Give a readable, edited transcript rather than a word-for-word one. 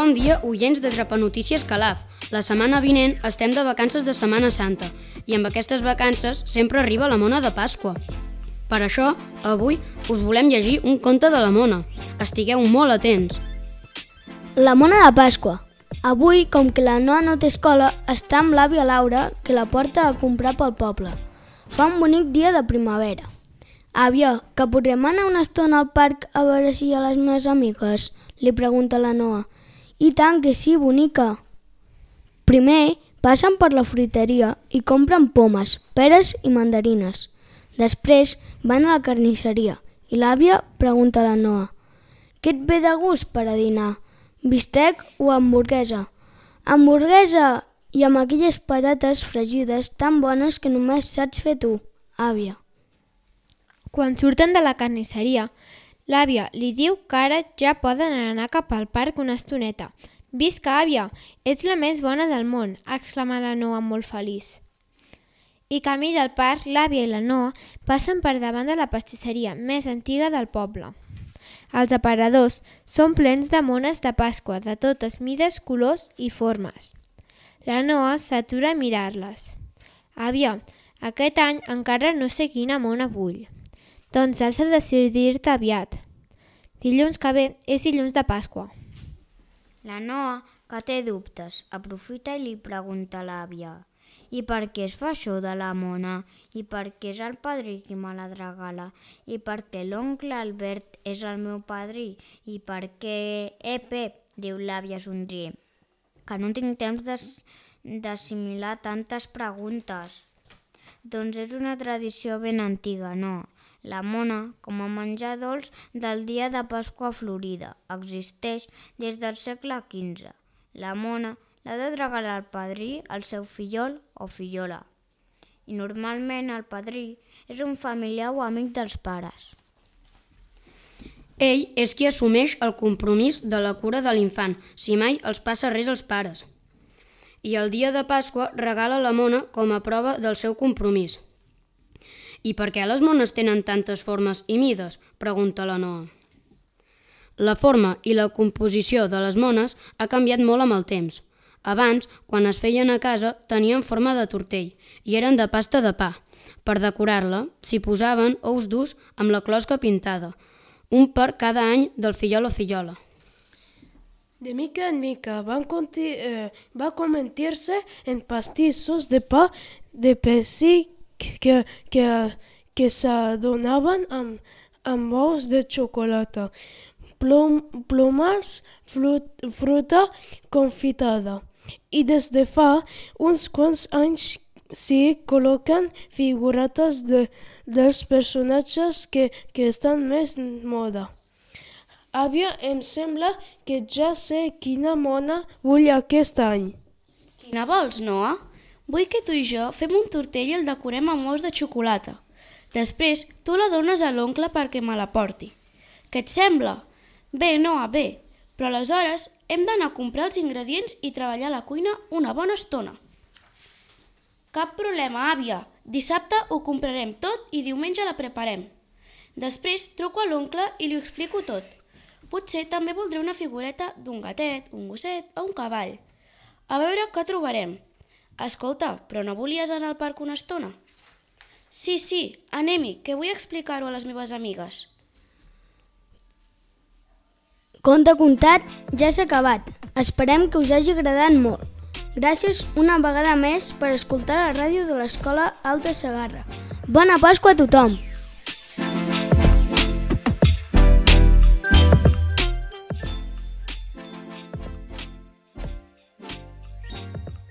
Bon dia, oients de Trapanotícies Calaf. La setmana vinent estem de vacances de Setmana Santa i amb aquestes vacances sempre arriba la mona de Pasqua. Per això, avui us volem llegir un conte de la mona. Estigueu molt atents. La mona de Pasqua. Avui, com que la Noa no té escola, està amb l'àvia Laura, que la porta a comprar pel poble. Fa un bonic dia de primavera. Àvia, que podrem anar una estona al parc a veure si hi ha les meves amigues? Li pregunta la Noa. I tant que sí, bonica. Primer, passen per la fruiteria i compren pomes, peres i mandarines. Després van a la carnisseria i l'àvia pregunta a la Noa: «Què et ve de gust per a dinar? Bistec o hamburguesa?» «Hamburguesa! I amb aquelles patates fregides tan bones que només saps fer tu, àvia». Quan surten de la carnisseria, l'àvia li diu que ara ja poden anar cap al parc una estoneta. «Visca, àvia! Ets la més bona del món!», exclama la Noa molt feliç. I camí del parc, l'àvia i la Noa passen per davant de la pastisseria més antiga del poble. Els aparadors són plens de mones de Pasqua de totes mides, colors i formes. La Noa s'atura a mirar-les. «Àvia, aquest any encara no sé quina mona vull». «Doncs has de decidir-te aviat. Dilluns que ve és dilluns de Pasqua». La Noa, que té dubtes, aprofita i li pregunta a l'àvia: «I per què es fa això de la mona? I per què és el padrí qui me la regala? I per què l'oncle Albert és el meu padrí? I per què...» Pep», diu l'àvia somrient, «que no tinc temps d'assimilar tantes preguntes». «Doncs és una tradició ben antiga, no? La mona, com a menjar dolç del dia de Pasqua a Florida, existeix des del segle XV. La mona l'ha de regalar el padrí al seu fillol o fillola. I normalment el padrí és un familiar o amic dels pares. Ell és qui assumeix el compromís de la cura de l'infant, si mai els passa res als pares. I el dia de Pasqua regala la mona com a prova del seu compromís. «I per què les mones tenen tantes formes i mides?», pregunta la Noa. La forma i la composició de les mones ha canviat molt amb el temps. Abans, quan es feien a casa, tenien forma de tortell i eren de pasta de pa. Per decorar-la, s'hi posaven ous durs amb la closca pintada, un per cada any del fillol o fillola. De mica en mica va convertir-se en pastissos de pa de pessic que s'adonaven amb ous de xocolata, plomars, fruita confitada. I des de fa uns quants anys s'hi col·loquen figuretes dels personatges que estan més moda. Àvia, em sembla que ja sé quina mona vull aquest any. Quina vols, Noa? Vull que tu i jo fem un tortell i el decorem amb ous de xocolata. Després tu la dones a l'oncle perquè me la porti. Què et sembla? Bé, Noa, bé, però aleshores hem d'anar a comprar els ingredients i treballar a la cuina una bona estona. Cap problema, àvia. Dissabte ho comprarem tot i diumenge la preparem. Després truco a l'oncle i li explico tot. Potser també voldré una figureta d'un gatet, un gosset o un cavall. A veure què trobarem. Escolta, però no volies anar al parc una estona? Sí, anem-hi, que vull explicar-ho a les meves amigues. Conte contat ja s'ha acabat. Esperem que us hagi agradat molt. Gràcies una vegada més per escoltar la ràdio de l'Escola Alta Segarra. Bona Pasqua a tothom!